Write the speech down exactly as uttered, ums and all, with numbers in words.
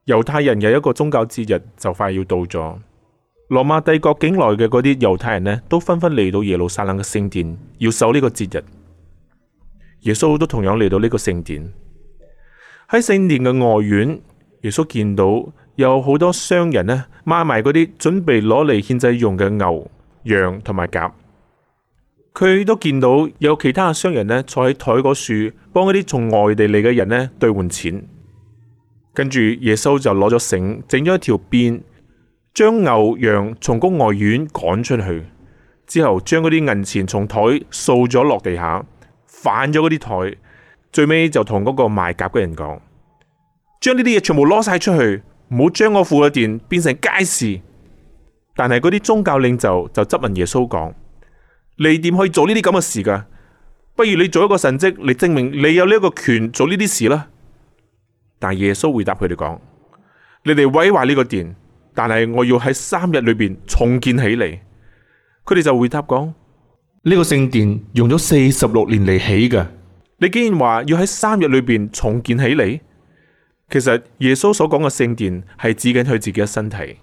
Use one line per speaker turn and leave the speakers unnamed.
猶太人有一個宗教節日就快要到咗，羅馬帝國境內嘅嗰啲猶太人呢，都紛紛嚟到耶路撒冷嘅聖殿，要守呢個節日。耶穌都同樣嚟到呢個聖殿。喺聖殿嘅外院，耶穌見到有好多商人呢，買埋嗰啲準備攞嚟獻祭用嘅牛、羊同埋鴿。佢都見到有其他嘅商人呢，坐喺台嗰處，幫嗰啲從外地嚟嘅人呢兌換錢。跟住耶穌就攞咗繩，整咗一條辮，將牛羊從嗰外院趕出去，之後將嗰啲銀錢從台掃咗落地下，反咗嗰啲台，最尾就同嗰個賣鴿嘅人講：將呢啲嘢全部攞晒出去，唔好將我父嘅殿變成街市。但係嗰啲宗教領袖就質問耶穌講：你點可以做呢啲咁嘅事噶？不如你做一個神蹟嚟證明你有呢一個權做呢啲事啦。但耶穌回答佢哋講：你哋毀壞呢個殿，但係我要喺三日裏邊重建起嚟。佢哋就回答講：呢個聖殿用咗四十六年嚟起嘅，你竟然話要喺三日裏邊重建起嚟？其實耶穌所講嘅聖殿係指緊佢自己嘅身體。